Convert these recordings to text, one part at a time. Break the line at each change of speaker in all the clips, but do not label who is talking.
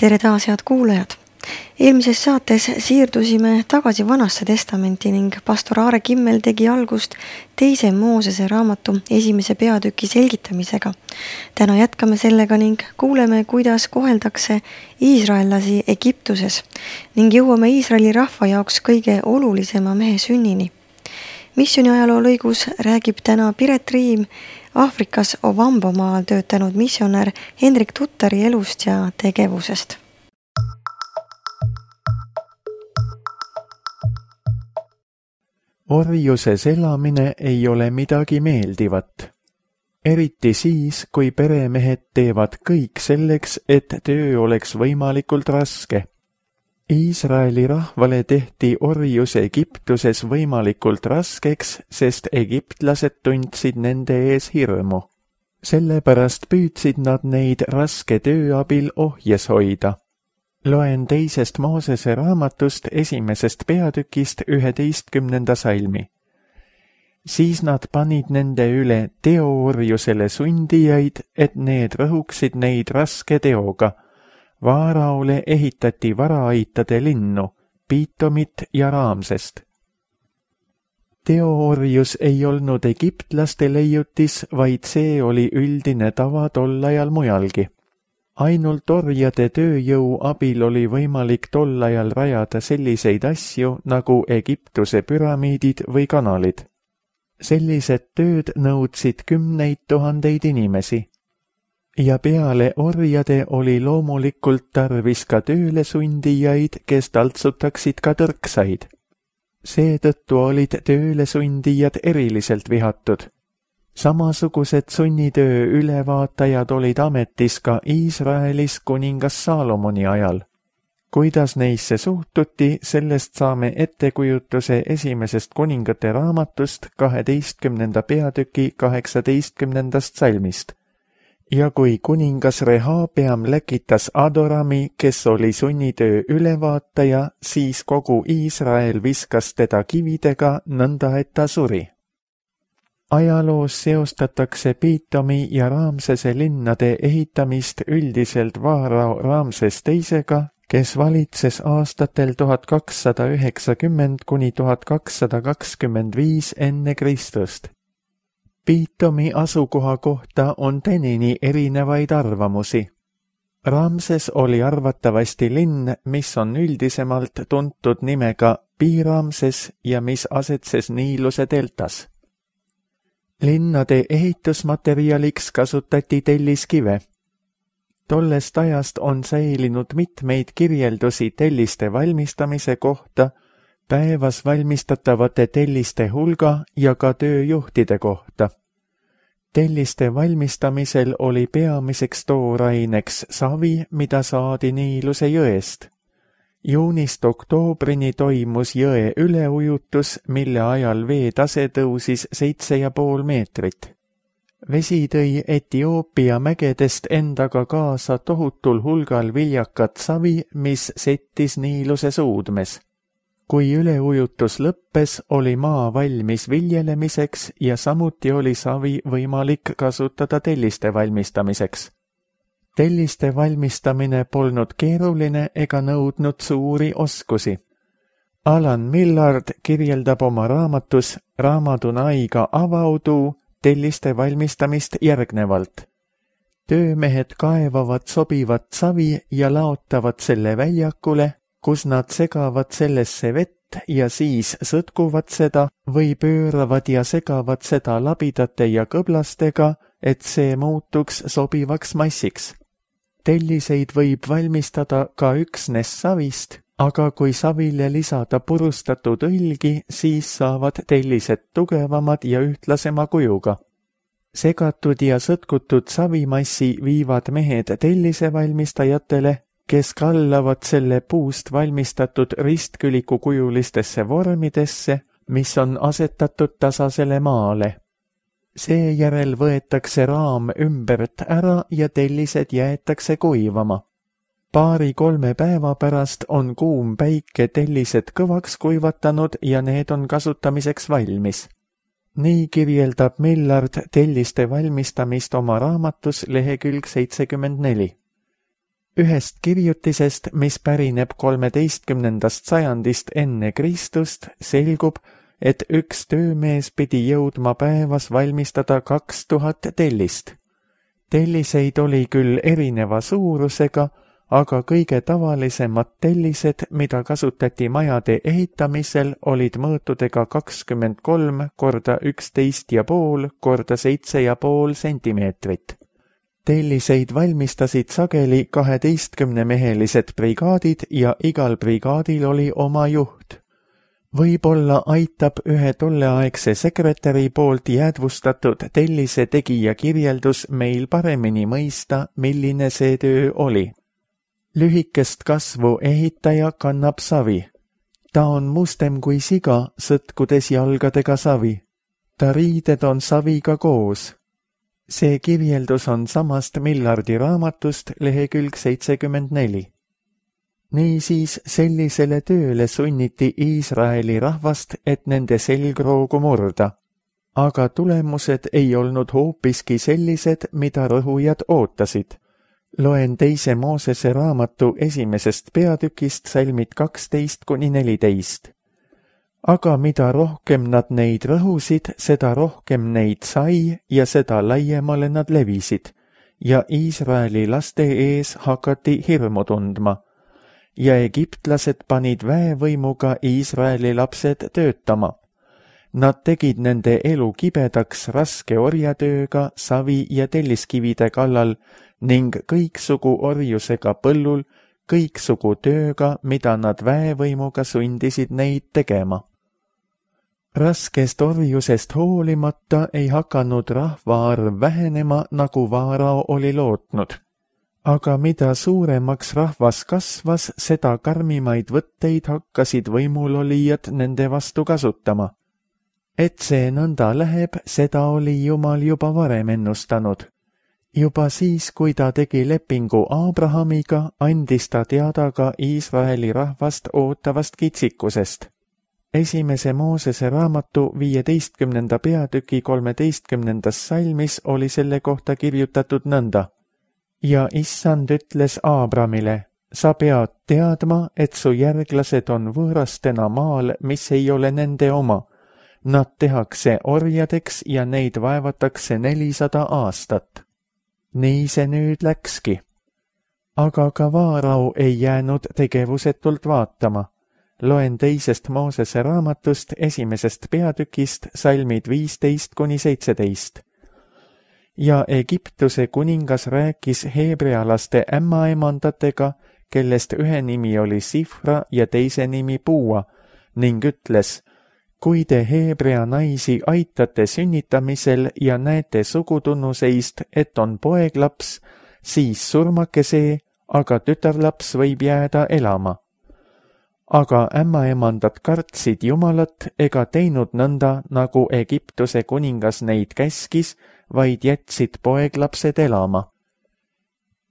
Tere taas, head kuulajad! Eelmises saates siirdusime tagasi Vanasse testamenti ning pastor Aare Kimmel tegi algust 2. Moosese raamatu 1. peatüki selgitamisega. Täna jätkame sellega ning kuuleme, kuidas koheldakse iisraellasi Egiptuses ning jõuame Iisraeli rahva jaoks kõige olulisema mehe sünnini. Missiooni ajaloo lõigus räägib täna Piret Riim Aafrikas Ovambomaal töötanud missionär Hendrik Tuttari elust ja tegevusest.
Orjuses elamine ei ole midagi meeldivat. Eriti siis, kui peremehed teevad kõik selleks, et töö oleks võimalikult raske. Iisraeli rahvale tehti orjus Egiptuses võimalikult raskeks, sest egiptlased tundsid nende ees hirmu. Sellepärast püüdsid nad neid raske töö abil ohjes hoida. Loen 2. Moosese raamatust 1. peatükist 11. salmi. Siis nad panid nende üle teoorjusele sundijaid, et need rõhuksid neid raske teoga. Vaaraole ehitati varaaitade linnu, Piitomit ja Raamsest. Teoorjus ei olnud egiptlaste leiutis, vaid see oli üldine tava tol ajal mujalgi. Ainult orjade tööjõu abil oli võimalik tol ajal rajada selliseid asju nagu Egiptuse püramiidid või kanalid. Sellised tööd nõudsid 10 000 inimesi. Ja peale orjade oli loomulikult tarvis ka tööle sundijaid, kes taltsutaksid ka tõrksaid. Seetõttu olid tööle sundijad eriliselt vihatud. Samasugused sunnitöö ülevaatajad olid ametis ka Iisraelis kuningas Saalomoni ajal. Kuidas neisse suhtuti, sellest saame ettekujutuse 1. kuningate raamatust 12. peatüki 18. salmist. Ja kui kuningas Rehabeam läkitas Adorami, kes oli sunnitöö ülevaataja, siis kogu Iisrael viskas teda kividega nõnda, et ta suri. Ajaloos seostatakse Piitomi ja Raamsese linnade ehitamist üldiselt vaarao Raamses teisega, kes valitses aastatel 1290 kuni 1225 enne Kristust. Piitomi asukoha kohta on tänini erinevaid arvamusi. Raamses oli arvatavasti linn, mis on üldisemalt tuntud nimega Piiraamses ja mis asetses Niiluse deltas. Linnade ehitusmaterialiks kasutati telliskive. Tollest ajast on säilinud mitmeid kirjeldusi telliste valmistamise kohta, päevas valmistatavate telliste hulga ja ka tööjuhtide kohta. Telliste valmistamisel oli peamiseks tooraineks savi, mida saadi Niiluse jõest. Juunist oktoobrini toimus jõe üleujutus, mille ajal veetase tõusis 7,5 meetrit. Vesi tõi Etioopia mägedest endaga kaasa tohutul hulgal viljakat savi, mis settis Niiluse suudmes. Kui üleujutus lõppes, oli maa valmis viljelemiseks ja samuti oli savi võimalik kasutada telliste valmistamiseks. Telliste valmistamine polnud keeruline ega nõudnud suuri oskusi. Alan Millard kirjeldab oma raamatus Raamadunaiga avaudu telliste valmistamist järgnevalt. Töömehed kaevavad sobivat savi ja laotavad selle väljakule, kus nad segavad sellesse vett ja siis sõtkuvad seda või pööravad ja segavad seda labidate ja kõblastega, et see muutuks sobivaks massiks. Telliseid võib valmistada ka üksnes savist, aga kui savile lisada purustatud õlgi, siis saavad tellised tugevamad ja ühtlasema kujuga. Segatud ja sõtkutud savimassi viivad mehed tellisevalmistajatele, kes kallavad selle puust valmistatud ristkülikukujulistesse vormidesse, mis on asetatud tasasele maale. Seejärel võetakse raam ümbert ära ja tellised jäetakse kuivama. 2-3 päeva pärast on kuum päike tellised kõvaks kuivatanud ja need on kasutamiseks valmis. Nii kirjeldab Millard telliste valmistamist oma raamatus lehekülg 74. Ühest kirjutisest, mis pärineb 13. sajandist enne Kristust, selgub, et üks töömees pidi jõudma päevas valmistada 2000 tellist. Telliseid oli küll erineva suurusega, aga kõige tavalisemad tellised, mida kasutati majade ehitamisel, olid mõõtudega 23 korda 11,5 korda 7,5 sentimeetrit. Telliseid valmistasid sageli 12-mehelised brigaadid ja igal brigaadil oli oma juht. Võib-olla aitab ühe tolleaegse sekretäri poolt jäädvustatud tellise tegija kirjeldus meil paremini mõista, milline see töö oli. Lühikest kasvu ehitaja kannab savi. Ta on mustem kui siga, sõtkudes jalgadega savi. Ta riided on saviga koos. See kirjeldus on samast Millardi raamatust lehekülg 74. Niisiis sellisele tööle sunniti Iisraeli rahvast, et nende selgroogu murda. Aga tulemused ei olnud hoopiski sellised, mida rõhujad ootasid. Loen 2. Moosese raamatu 1. peatükist salmid 12-14. Aga mida rohkem nad neid rõhusid, seda rohkem neid sai ja seda laiemale nad levisid. Ja Iisraeli laste ees hakati hirmu tundma. Ja egiptlased panid väevõimuga Iisraeli lapsed töötama. Nad tegid nende elu kibedaks raske orjatööga, savi ja telliskivide kallal ning kõiksugu orjusega põllul, kõiksugu tööga, mida nad väevõimuga sundisid neid tegema. Raskest orjusest hoolimata ei hakanud rahvaarv vähenema, nagu Vaarao oli lootnud. Aga mida suuremaks rahvas kasvas, seda karmimaid võtteid hakkasid võimulolijad nende vastu kasutama. Et see nõnda läheb, seda oli Jumal juba varem ennustanud. Juba siis, kui ta tegi lepingu Abrahamiga, andis ta teada ka Iisraeli rahvast ootavast kitsikusest. 1. Moosese raamatu 15. peatüki 13. salmis oli selle kohta kirjutatud nõnda. Ja issand ütles Abramile, sa pead teadma, et su järglased on võõrastena maal, mis ei ole nende oma. Nad tehakse orjadeks ja neid vaevatakse 400 aastat. Nii see nüüd läkski. Aga ka Vaarao ei jäänud tegevusetult vaatama. Loen 2. Moosese raamatust 1. peatükist salmid 15-17. Ja Egiptuse kuningas rääkis heebrealaste ämmaemandatega, kellest ühe nimi oli Sifra ja teise nimi Puua, ning ütles, kui te heebrea naisi aitate sünnitamisel ja näete sugutunnuseist, et on poeglaps, siis surmake see, aga tütarlaps võib jääda elama. Aga ämmaemandad kartsid Jumalat ega teinud nõnda, nagu Egiptuse kuningas neid käskis, vaid jätsid poeglapsed elama.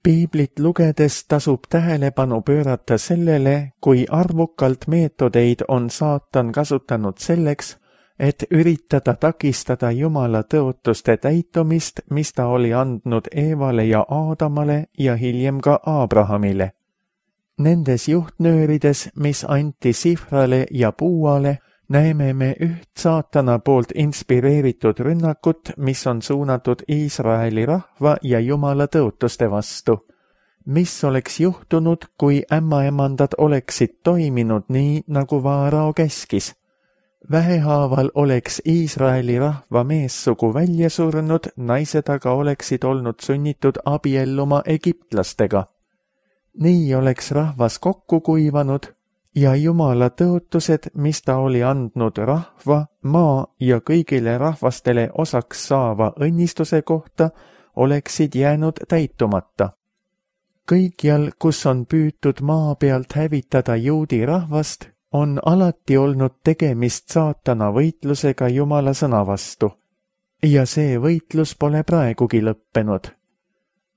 Piiblit lugedes tasub tähelepanu pöörata sellele, kui arvukalt meetodeid on saatan kasutanud selleks, et üritada takistada Jumala tõotuste täitumist, mis ta oli andnud Eevale ja Aadamale ja hiljem ka Abrahamile. Nendes juhtnöörides, mis anti Sifrale ja Puuale, näeme me üht saatana poolt inspireeritud rünnakut, mis on suunatud Iisraeli rahva ja Jumala tõotuste vastu. Mis oleks juhtunud, kui ämmaemandad oleksid toiminud nii, nagu Vaarao käskis? Vähehaaval oleks Iisraeli rahva meessugu välja surnud, naised aga oleksid olnud sunnitud abielluma egiptlastega. Nii oleks rahvas kokku kuivanud ja Jumala tõotused, mis ta oli andnud rahva, maa ja kõigile rahvastele osaks saava õnnistuse kohta, oleksid jäänud täitumata. Kõikjal, kus on püütud maa pealt hävitada juudi rahvast, on alati olnud tegemist saatana võitlusega Jumala sõna vastu. Ja see võitlus pole praegugi lõppenud.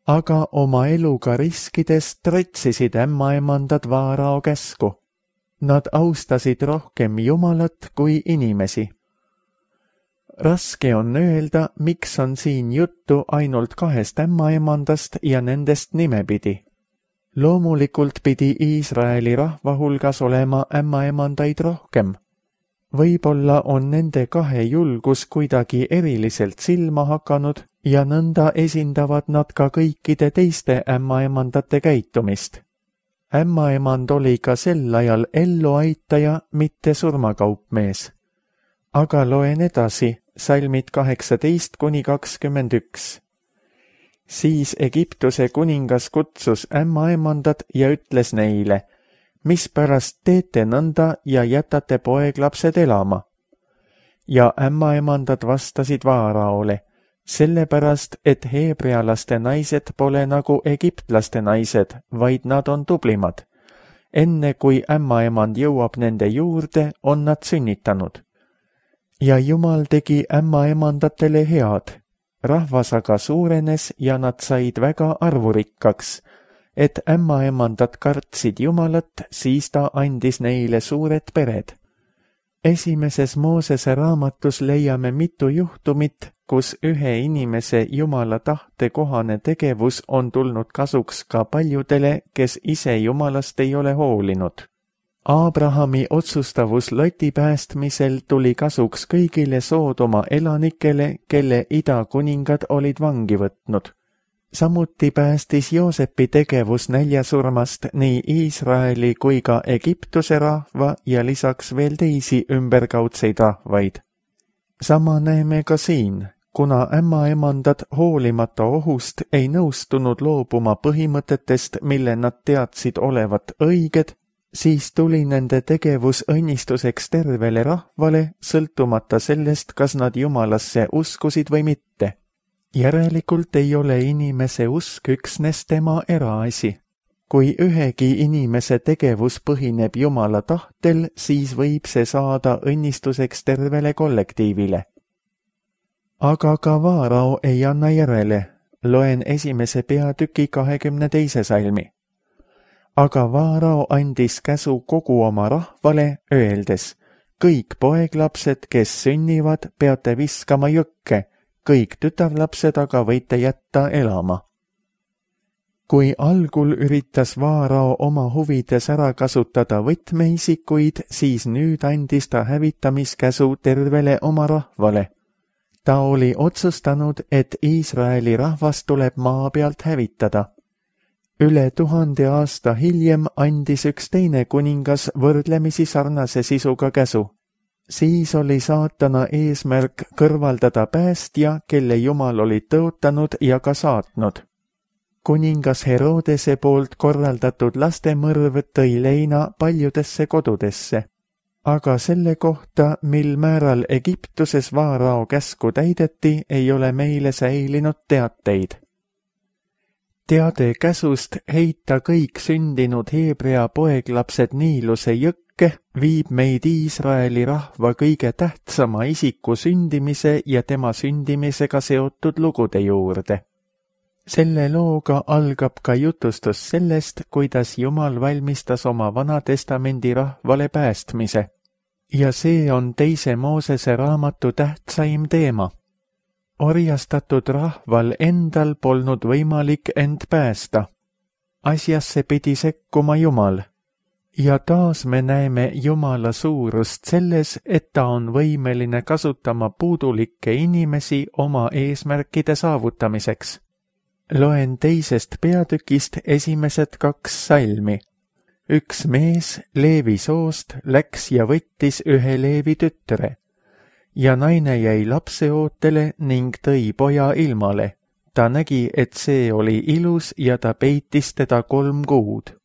Aga oma eluga riskides trotsisid ämmaemandad Vaarao käsku. Nad austasid rohkem Jumalat kui inimesi. Raske on öelda, miks on siin juttu ainult 2 ämmaemandast ja nendest nimepidi. Loomulikult pidi Iisraeli rahva hulgas olema ämmaemandaid rohkem. Võib-olla on nende kahe julgus kuidagi eriliselt silma hakanud ja nõnda esindavad nad ka kõikide teiste ämmaemandate käitumist. Ämmaemand oli ka sel ajal elluaitaja, mitte surmakaupmees. Aga loen edasi, salmid 18–21. Siis Egiptuse kuningas kutsus ämmaemandad ja ütles neile, mispärast teete nõnda ja jätate poeglapsed elama? Ja ämmaemandad vastasid Vaaraole, sellepärast, et heebrealaste naised pole nagu egiptlaste naised, vaid nad on tublimad. Enne kui ämmaemand jõuab nende juurde, on nad sünnitanud. Ja Jumal tegi ämmaemandatele head. Rahvas aga suurenes ja nad said väga arvurikkaks. Et ämmaemandad kartsid Jumalat, siis ta andis neile suured pered. Esimeses Moosese raamatus leiame mitu juhtumit, kus ühe inimese Jumala tahte kohane tegevus on tulnud kasuks ka paljudele, kes ise Jumalast ei ole hoolinud. Abrahami otsustavus Loti päästmisel tuli kasuks kõigile Soodoma elanikele, kelle idakuningad olid vangi võtnud. Samuti päästis Joosepi tegevus näljasurmast nii Iisraeli kui ka Egiptuse rahva ja lisaks veel teisi ümberkaudseid rahvaid. Sama näeme ka siin, kuna ämmaemandad hoolimata ohust ei nõustunud loobuma põhimõtetest, mille nad teadsid olevat õiged, siis tuli nende tegevus õnnistuseks tervele rahvale, sõltumata sellest, kas nad Jumalasse uskusid või mitte. Järelikult ei ole inimese usk üksnes tema eraasi. Kui ühegi inimese tegevus põhineb Jumala tahtel, siis võib see saada õnnistuseks tervele kollektiivile. Aga ka Vaarao ei anna järele. Loen 1. peatüki 22. salmi. Aga Vaarao andis käsu kogu oma rahvale, öeldes, kõik poeglapsed, kes sünnivad, peate viskama jõkke, kõik tütarlapsed aga võite jätta elama. Kui algul üritas Vaarao oma huvides ära kasutada võtmeisikuid, siis nüüd andis ta hävitamiskäsu tervele oma rahvale. Ta oli otsustanud, et Iisraeli rahvas tuleb maa pealt hävitada. Üle 1000 aasta hiljem andis üks teine kuningas võrdlemisi sarnase sisuga käsu. Siis oli saatana eesmärk kõrvaldada päästja, kelle Jumal oli tõotanud ja ka saatnud. Kuningas Herodese poolt korraldatud lastemõrv tõi leina paljudesse kodudesse. Aga selle kohta, mil määral Egiptuses Vaarao käsku täideti, ei ole meile säilinud teateid. Teade käsust heita kõik sündinud Heebrea poeglapsed Niiluse jõkke viib meid Iisraeli rahva kõige tähtsama isiku sündimise ja tema sündimisega seotud lugude juurde. Selle looga algab ka jutustus sellest, kuidas Jumal valmistas oma Vanatestamendi rahvale päästmise. Ja see on 2. Moosese raamatu tähtsaim teema. Orjastatud rahval endal polnud võimalik end päästa. Asjasse pidi sekkuma Jumal. Ja taas me näeme Jumala suurust selles, et ta on võimeline kasutama puudulikke inimesi oma eesmärkide saavutamiseks. Loen 2. peatükist esimesed 2 salmi. Üks mees Leevi soost läks ja võttis ühe Leevi tütre. Ja naine jäi lapseootele ning tõi poja ilmale. Ta nägi, et see oli ilus ja ta peitis teda 3 kuud.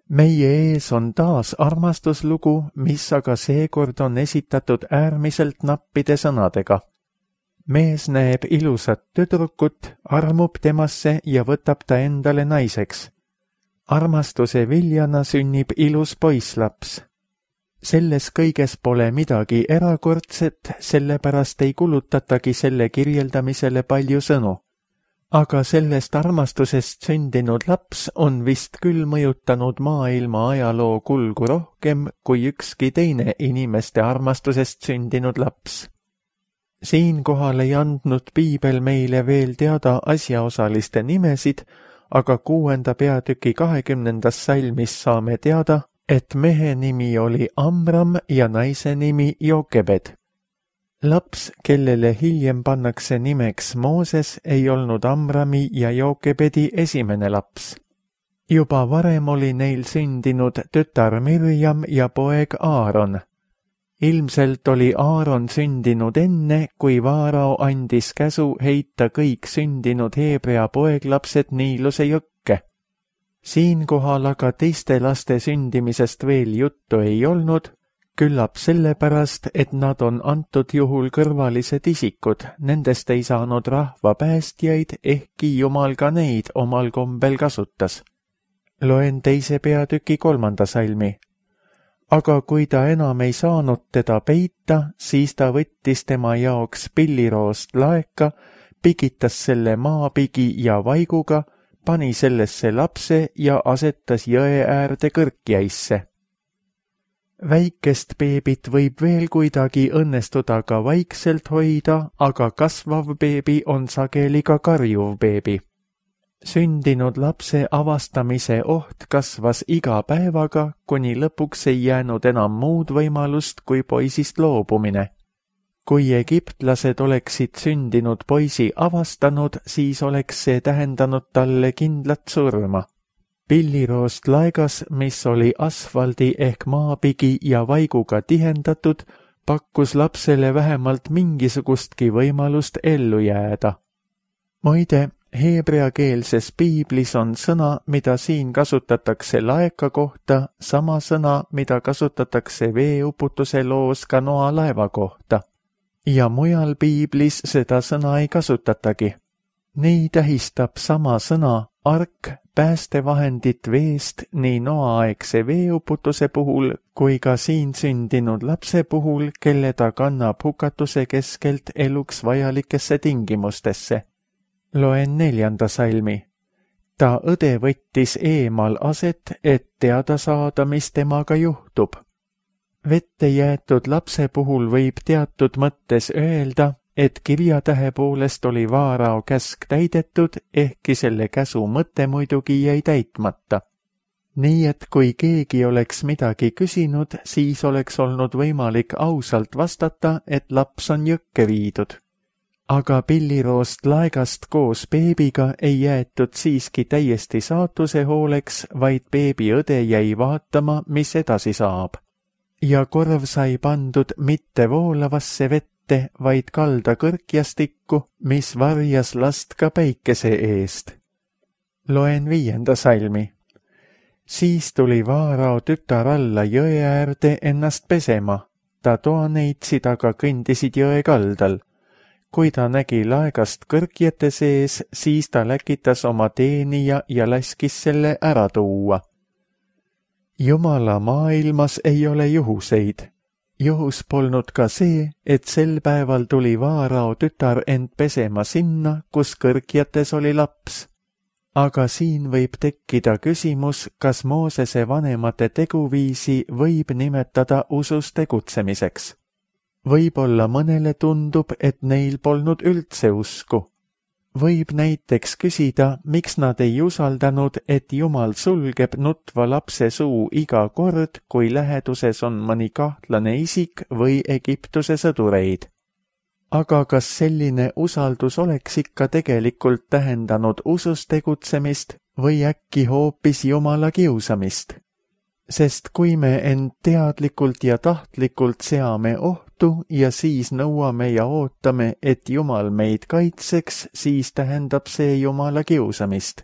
Meie ees on taas armastuslugu, mis aga seekord on esitatud äärmiselt nappide sõnadega. Mees näeb ilusat tüdrukut, armub temasse ja võtab ta endale naiseks. Armastuse viljana sünnib ilus poisslaps. Selles kõiges pole midagi erakordset, sellepärast ei kulutatagi selle kirjeldamisele palju sõnu. Aga sellest armastusest sündinud laps on vist küll mõjutanud maailma ajaloo kulgu rohkem kui ükski teine inimeste armastusest sündinud laps. Siinkohal ei andnud piibel meile veel teada asjaosaliste nimesid, aga 6. peatüki 20. salmis saame teada, et mehe nimi oli Amram ja naise nimi Jokebed. Laps, kellele hiljem pannakse nimeks Mooses, ei olnud Amrami ja Jokebedi esimene laps. Juba varem oli neil sündinud tütar Mirjam ja poeg Aaron. Ilmselt oli Aaron sündinud enne, kui Vaarao andis käsu heita kõik sündinud Heebrea poeglapsed Niiluse jõkke. Siinkohal aga teiste laste sündimisest veel juttu ei olnud, küllap sellepärast, et nad on antud juhul kõrvalised isikud, nendest ei saanud rahva päästjaid, ehkki Jumal ka neid omal kombel kasutas. Loen 2. peatüki 3. salmi. Aga kui ta enam ei saanud teda peita, siis ta võttis tema jaoks pilliroost laeka, pigitas selle maapigi ja vaiguga, pani sellesse lapse ja asetas jõe äärde kõrkjäisse. Väikest beebit võib veel kuidagi õnnestuda ka vaikselt hoida, aga kasvav beebi on sageli ka karjuv beebi. Sündinud lapse avastamise oht kasvas iga päevaga, kuni lõpuks ei jäänud enam muud võimalust kui poisist loobumine. Kui egiptlased oleksid sündinud poisi avastanud, siis oleks see tähendanud talle kindlat surma. Pilliroost laegas, mis oli asfaldi ehk maapigi ja vaiguga tihendatud, pakkus lapsele vähemalt mingisugustki võimalust ellu jääda. Muide, heebreakeelses piiblis on sõna, mida siin kasutatakse laeka kohta, sama sõna, mida kasutatakse veeuputuse loos ka Noa laeva kohta. Ja mujal piiblis seda sõna ei kasutatagi. Nii tähistab sama sõna ark päästevahendit veest nii Noa-aegse veeuputuse puhul kui ka siin sündinud lapse puhul, kelle ta kannab hukatuse keskelt eluks vajalikesse tingimustesse. Loen 4. salmi. Ta õde võttis eemal aset, et teada saada, mis temaga juhtub. Vette jäetud lapse puhul võib teatud mõttes öelda, et kirjatähe poolest oli Vaarao käsk täidetud, ehkki selle käsu mõte muidugi jäi täitmata. Nii et kui keegi oleks midagi küsinud, siis oleks olnud võimalik ausalt vastata, et laps on jõkke viidud. Aga pilliroost laegast koos beebiga ei jäetud siiski täiesti saatuse hooleks, vaid beebi õde jäi vaatama, mis edasi saab. Ja korv sai pandud mitte voolavasse vette, vaid kalda kõrkjastikku, mis varjas last ka päikese eest. Loen 5. salmi. Siis tuli Vaarao tütar alla jõe äärde ennast pesema. Ta toaneitsid aga kõndisid jõe kaldal. Kui ta nägi laegast kõrkjete sees, siis ta läkitas oma teenija ja laskis selle ära tuua. Jumala maailmas ei ole juhuseid. Juhus polnud ka see, et sel päeval tuli Vaarao tütar end pesema sinna, kus kõrkjates oli laps. Aga siin võib tekkida küsimus, kas Moosese vanemate teguviisi võib nimetada usus tegutsemiseks. Võib-olla mõnele tundub, et neil polnud üldse usku. Võib näiteks küsida, miks nad ei usaldanud, et Jumal sulgeb nutva lapse suu iga kord, kui läheduses on mõni kahtlane isik või Egiptuse sõdureid. Aga kas selline usaldus oleks ikka tegelikult tähendanud usus tegutsemist või äkki hoopis Jumala kiusamist? Sest kui me end teadlikult ja tahtlikult seame ohtu ja siis nõuame ja ootame, et Jumal meid kaitseks, siis tähendab see Jumala kiusamist.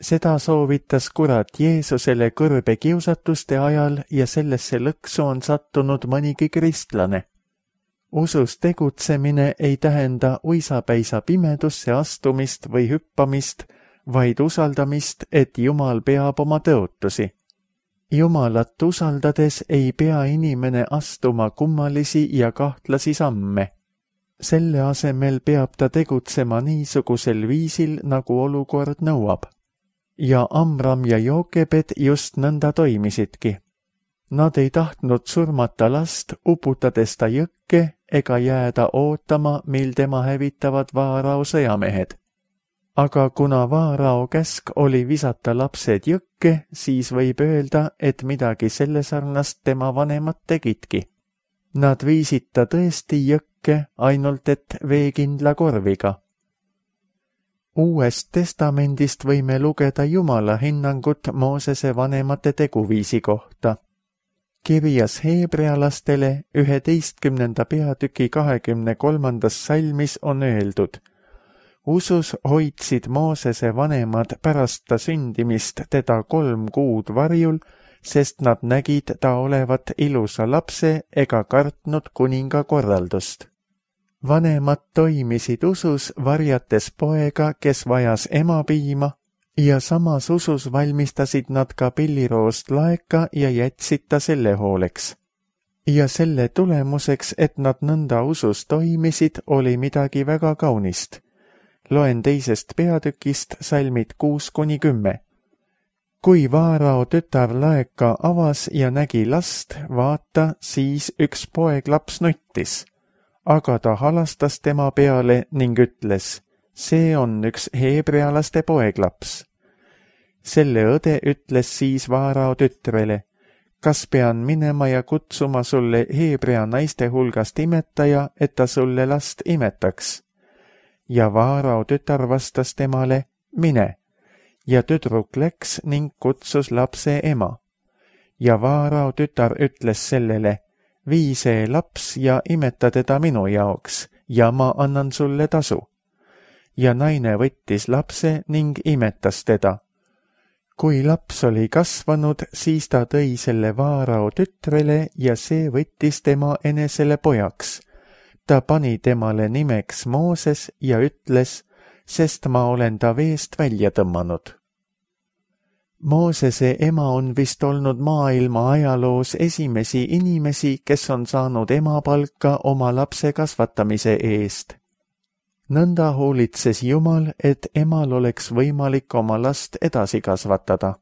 Seda soovitas kurat Jeesusele kõrbe kiusatuste ajal ja sellesse lõksu on sattunud mõnigi kristlane. Usus tegutsemine ei tähenda uisapäisa pimedusse astumist või hüppamist, vaid usaldamist, et Jumal peab oma tõotusi. Jumalat usaldades ei pea inimene astuma kummalisi ja kahtlasi samme. Selle asemel peab ta tegutsema niisugusel viisil, nagu olukord nõuab. Ja Amram ja Jokebed just nõnda toimisidki. Nad ei tahtnud surmata last, uputades ta jõkke ega jääda ootama, mil tema hävitavad Vaarao sõjamehed. aga kuna Vaarao käsk oli visata lapsed jõkke, siis võib öelda, et midagi selle sarnast tema vanemad tegidki. Nad viisid ta tõesti jõkke, ainult et veekindla korviga. Uuest testamendist võime lugeda Jumala hinnangut Moosese vanemate teguviisi kohta. Kirjas heebrealastele 11. peatüki 23. salmis on öeldud: usus hoidsid Moosese vanemad pärast ta sündimist teda 3 kuud varjul, sest nad nägid ta olevat ilusa lapse ega kartnud kuninga korraldust. Vanemad toimisid usus, varjates poega, kes vajas emapiima, ja samas usus valmistasid nad ka pilliroost laeka ja jätsid ta selle hooleks. Ja selle tulemuseks, et nad nõnda usus toimisid, oli midagi väga kaunist. Loen 2. peatükist salmid 6-10. Kui Vaarao tütar laeka avas ja nägi last, vaata, siis üks poeglaps nuttis. Aga ta halastas tema peale ning ütles: see on üks heebrealaste poeglaps. Selle õde ütles siis Vaarao tütrele: kas pean minema ja kutsuma sulle heebrea naiste hulgast imetaja, et ta sulle last imetaks? Ja Vaarao tütar vastas temale: mine. Ja tüdruk läks ning kutsus lapse ema. Ja Vaarao tütar ütles sellele: vii see laps ja imeta teda minu jaoks ja ma annan sulle tasu. Ja naine võttis lapse ning imetas teda. Kui laps oli kasvanud, siis ta tõi selle Vaarao tütrele ja see võttis tema enesele pojaks. Ta pani temale nimeks Mooses ja ütles: sest ma olen ta veest välja tõmmanud. Moosese ema on vist olnud maailma ajaloos esimesi inimesi, kes on saanud emapalka oma lapse kasvatamise eest. Nõnda hoolitses Jumal, et emal oleks võimalik oma last edasi kasvatada,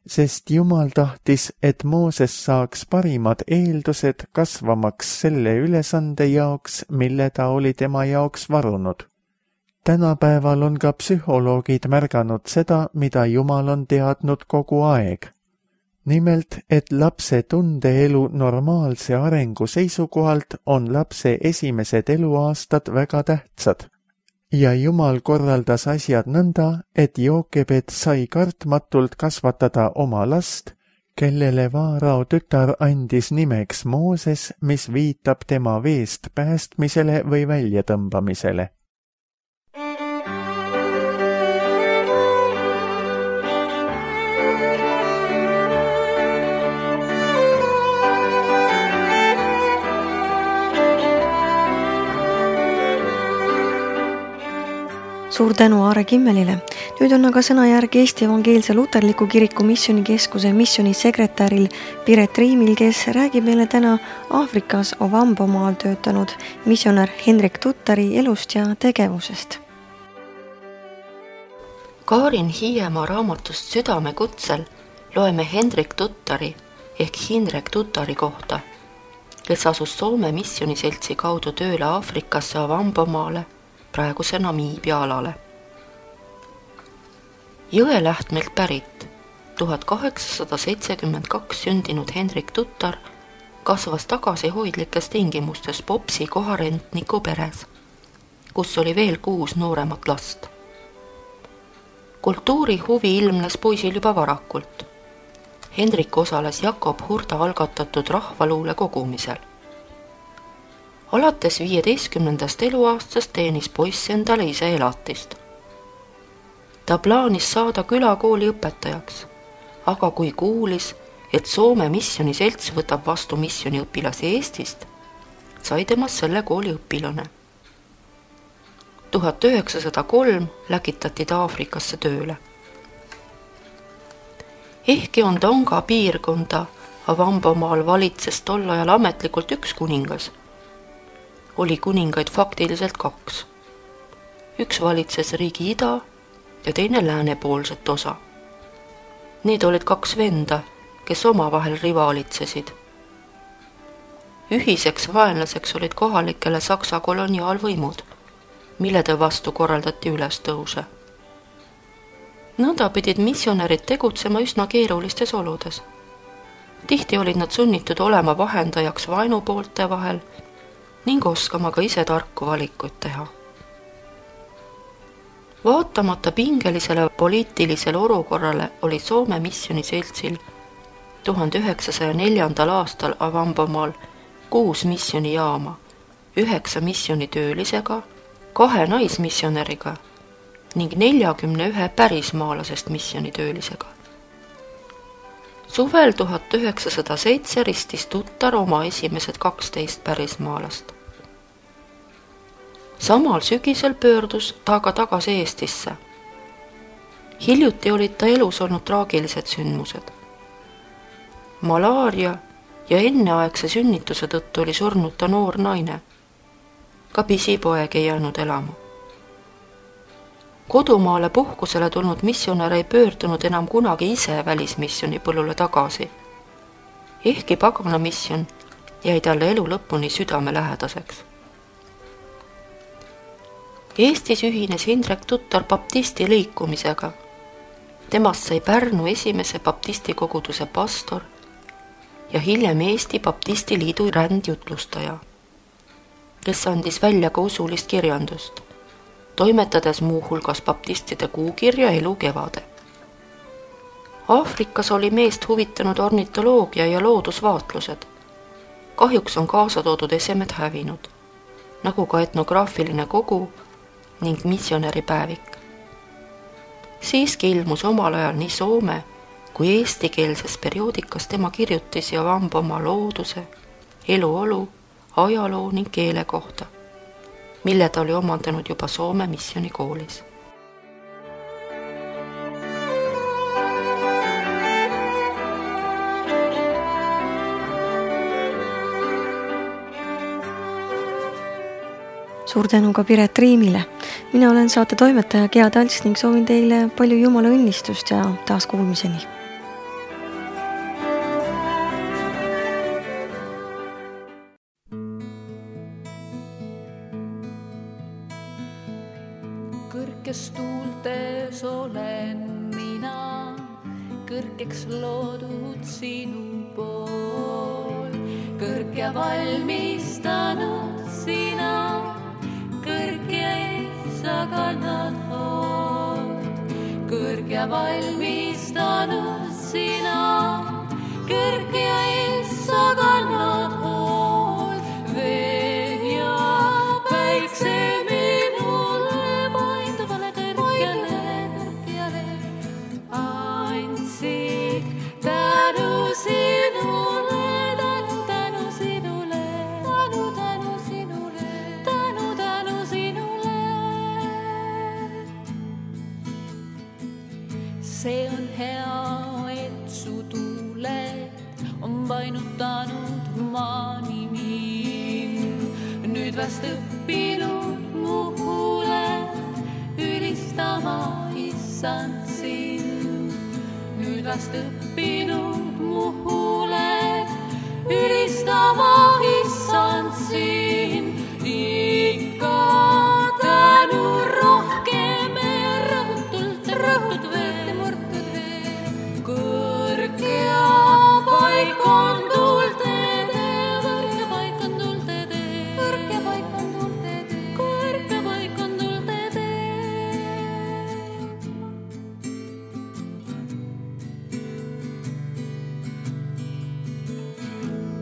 sest Jumal tahtis, et Mooses saaks parimad eeldused kasvamaks selle ülesande jaoks, mille ta oli tema jaoks varunud. Tänapäeval on ka psühholoogid märganud seda, mida Jumal on teadnud kogu aeg. Nimelt, et lapse tundeelu normaalse arengu seisukohalt on lapse esimesed eluaastad väga tähtsad. Ja Jumal korraldas asjad nõnda, et Jookebed sai kartmatult kasvatada oma last, kellele Vaarao tütar andis nimeks Mooses, mis viitab tema veest päästmisele või väljatõmbamisele.
Suur tänu Aare Kimmelile. Nüüd on aga sõnajärg Eesti Evangeelse Luterliku Kiriku Missioonikeskuse missioonisekretäril Piret Riimil, kes räägib meile täna Aafrikas Ovambomaal töötanud missionär Hendrik Tuttari elust ja tegevusest.
Kaarin Hiiemaa raamatust Südame kutsel loeme Hendrik Tuttari ehk Hindrek Tuttari kohta, kes asus Soome missiooniseltsi kaudu tööle Aafrikasse Ovambomaale, praeguse Namiibia alale. Jõelähtmelt pärit 1872 sündinud Hendrik Tuttar kasvas tagasihoidlikes tingimustes Popsi koharentniku peres, kus oli veel 6 nooremat last. Kultuuri huvi ilmnes poisil juba varakult. Hendrik osales Jakob Hurda algatatud rahvaluule kogumisel. Alates 15. eluaastast teenis poiss endale ise elatist. Ta plaanis saada külakooli õpetajaks, aga kui kuulis, et Soome missiooniselts võtab vastu missiooniõpilasi Eestist, sai temast selle kooli õpilane. 1903 läkitati ta Aafrikasse tööle. Ehkki on Tonga piirkonda Ovambomaal valitses tol ajal ametlikult 1 kuningas, oli kuningaid faktiliselt 2. Üks valitses riigi ida ja teine läänepoolset osa. Need olid 2 venda, kes omavahel rivaalitsesid. Ühiseks vaenlaseks olid kohalikele Saksa koloniaalvõimud, millede vastu korraldati ülestõuse. Nõnda pidid missionärid tegutsema üsna keerulistes oludes. Tihti olid nad sunnitud olema vahendajaks vaenupoolte vahel ning oskama ka ise tarku valikuid teha. Vaatamata pingelisele poliitilisele olukorrale oli Soome missioniseltsil 1904. aastal Avampomaal 6 missionijaama, 9 missionitöölisega, 2 naismissionäriga ning 41 pärismaalasest missionitöölisega. Suvel 1907 ristis tutar oma esimesed 12 pärismaalast. Samal sügisel pöördus ta aga tagasi Eestisse. Hiljuti olid ta elus olnud traagilised sündmused. Malaaria ja enneaegse sünnituse tõttu oli surnud ta noor naine. Ka pisipoeg ei jäänud elama. Kodumaale puhkusele tulnud missionär ei pöördunud enam kunagi ise välismissioni põllule tagasi. Ehkki pagana mission jäi talle elu lõpuni südamelähedaseks. Eestis ühines Hindrek tutar baptisti liikumisega. Temast sai Pärnu esimese baptisti koguduse pastor ja hiljem Eesti Baptisti Liidu rändjutlustaja, kes andis välja ka usulist kirjandust, toimetades muuhulgas baptistide kuukirja Elu kevade. Aafrikas oli meest huvitanud ornitoloogia ja loodusvaatlused. Kahjuks on kaasa toodud esemed hävinud, nagu ka etnograafiline kogu ning missionäripäevik. Siiski ilmus omal ajal nii soome kui eestikeelses perioodikas tema kirjutisi Avampomaa looduse, eluolu, ajaloo ning keele kohta, mille ta oli omandanud juba Soome missionikoolis.
Suur tänu ka Piret Riimile. Mina olen saate toimetaja Gea Talts ning soovin teile palju Jumala õnnistust ja taas kuulmiseni.
Kõrges tuultes olen mina, kõrgeks loodud sinu pool. Kõrge valmistanud sina, kõrge sa kannad hoolt. Kõrge valmistanud sina, kõrge sa kannad hoolt. Vee ja päikse minule painduvale kõrgele andsid tänu sinule, tänu sinule, tänu sinule, tänu sinule. See on hea, et su tuuled on painutanud maani mind. Nüüd vast õppinud muhule ülistama issand sind. Nüüd vast õppinud muhule ülistama issand sind. Ikka tänu rohkem rõhtud veel. Kõrgea paik on tuultede, kõrge paik on tuultede, kõrge paik on tuultede, kõrge paik on tuultede.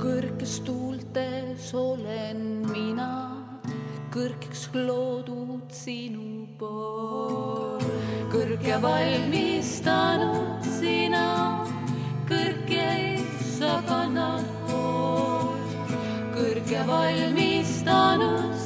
Kõrges tuultes olen mina, kõrgeks loodud sinu pool. Kõrge valmistanud sina, kõrge sa kannad hoolt. Kõrge valmistanud